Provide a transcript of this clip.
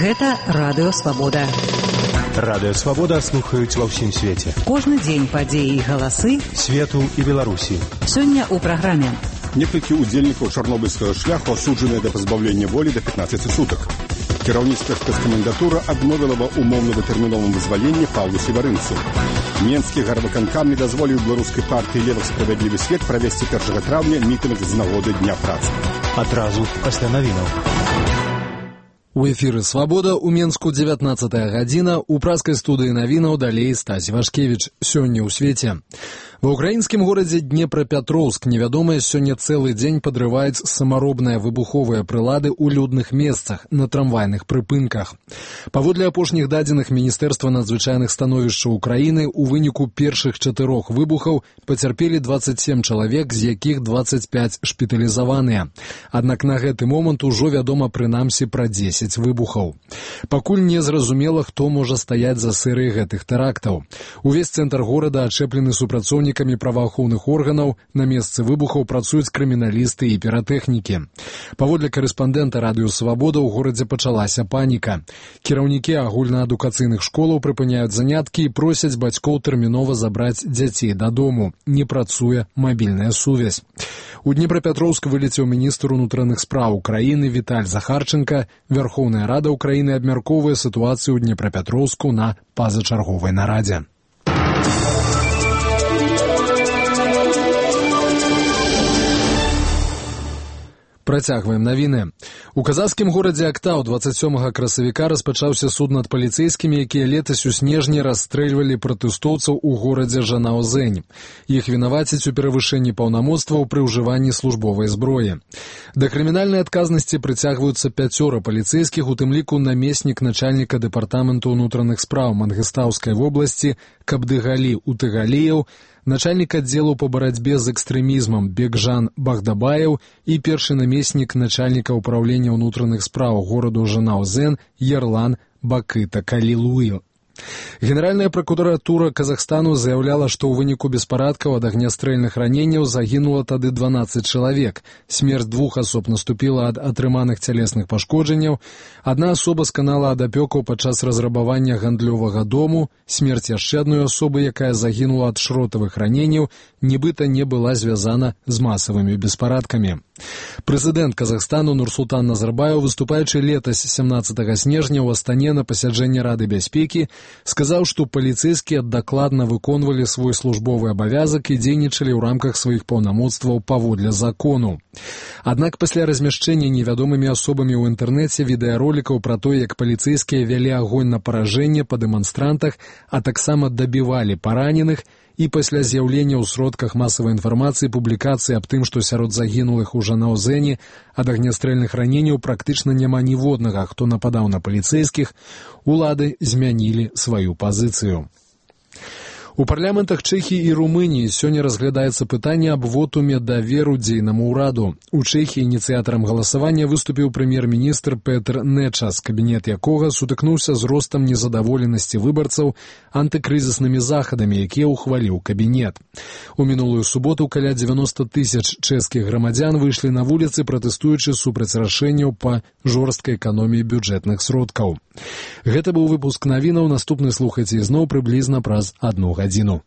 Гэта Радыё Свабода. Радыё Свабода слухаюць ва ўсім свеце. Кожны дзень падзеі і галасы свету і Беларусі. Сёння ў праграме. Некалькі удзельнікаў чарнобыльскага шляху асуджаныя да пазбаўлення волі да 15 сутак. Кіраўніцтва спецкамендатура адмовіла ва умоўна-датэрміновым вызваленні Паўлу Севарынцу. Менскі гарвыканкам не дазволіў беларускай партыі «Левых справядлівы свет» правесці 1 траўня мітынг з нагоды Дня працы. Адразу пасля навінаў. У эфіры «Свабода» у Менску 19 гадзіна, у праскай студыі навінаў далей Стась Вашкевіч. Сёння ў свеце. Ва ўкраінскім горадзе Днепрапетроўск невядомыя сёння цэлы дзень падрываюць самаробныя выбуховыя прылады ў людных месцах, на трамвайных прыпынках. Паводле апошніх дадзеных Міністэрства надзвычайных становішчаў Украіны, у выніку першых 4 выбухаў пацярпелі 27 чалавек, з якіх 25 шпіталізаваныя. Аднак на гэты момант ужо вядома прынамсі пра 10 выбухаў. Пакуль не зразумела, хто можа стаяць за серыяй гэтых тэрактаў. Увесь цэнтр горада ачэплены супрацоўнікамі праваахоўных органаў, на месцы выбухаў працуюць крыміналісты і піратэхнікі. Паводле карэспандэнта Радыё Свабода ў горадзе пачалася паніка. Кіраўнікі агульнаадукацыйных школаў прыпыняюць заняткі і просяць бацькоў тэрмінова забраць дзяцей дадому. Не працуе мабільная сувязь. У Днепрапетроўск вылецеў міністр унутраных спраў Украіны Віталь Захарченка. Верховная Рада Украіны абмяркоўвае сітуацыю ў Днепрапетроўску на пазачарговай нарадзе. Працягваем навіны. У казахскім горадзе Актау 27 красавіка распачаўся суд над паліцэйскімі, якія летась у снежні расстрэльвалі пратэстоўцаў у горадзе Жанаозень. Іх вінавацяць у перавышэнні паўнамоцтваў пры ўжыванні службовай зброі. Да крымінальнай адказнасці прыцягваюцца 5 паліцэйскіх, у тым ліку намеснік начальніка дэпартаменту ўнутраных спраў Мангыстаўскай вобласці Кабдыгалі Утыгаліеў, начальник аддзелу по барацьбе з экстрэмізмам Бекжан Багдабаев і першы намеснік начальніка ўпраўлення ўнутраных спраў гораду Жанаозен Ерлан Бакыта Калилуев. Генеральная прокуратура Казахстану заяўляла, што ў выніку беспарадкаў ад агнястрэльных раненняў загінула тады 12 чалавек. Смерць 2 асоб наступіла ад атрыманых цялесных пашкоджанняў. Адна асоба сканала ад апёкаў падчас разрабавання гандлёвага дому. Смерць яшчэ адной асобы, якая загінула ад шротавых раненняў, нібыта не была звязана з масавымі беспарадкамі. Прэзідэнт Казахстану Нурсултан Назарбаев, выступаючы летась 17 снежня ў Астане на пасяджэнні Рады бяспекі, сказаў, што паліцэйскія дакладна выконвалі свой службовы абавязак і дзейнічалі ў рамках сваіх паўнамоцтваў паводле закону. Аднак пасля размяшчэння невядомымі асобамі ў інтэрнэце відэаролікаў пра тое, як паліцэйскія вялі агонь на паражэнне па дэманстрантах, а таксама дабівалі параненых, і пасля з'яўлення ў сродках масавай інфармацыі публікацыі аб тым, што сярод загінулых у Жанаозені ад агнястрэльных раненняў практычна няма ніводнага, хто нападаў на паліцэйскіх, улады змянілі сваю пазіцыю. У парламентах Чэхіі і Румыніі сёння разглядаецца пытанне аб вотуме даверу дзейнаму ўраду. У Чэхіі ініцыятарам галасавання выступіў прэм'ер-міністр Петр Нечас, кабінет якога сутыкнуўся з ростам незадаволенасці выбарцаў антыкрызіснымі захадамі, якія ўхваліў кабінет. У мінулую суботу каля 90 тысяч чэшскіх грамадзян выйшлі на вуліцы, пратэстуючы супраць рашэнняў па жорсткай эканоміі бюджэтных сродкаў. Гэта быў выпуск навінаў, наступны слухайце ізноў прыблізна праз 1 гадзіну.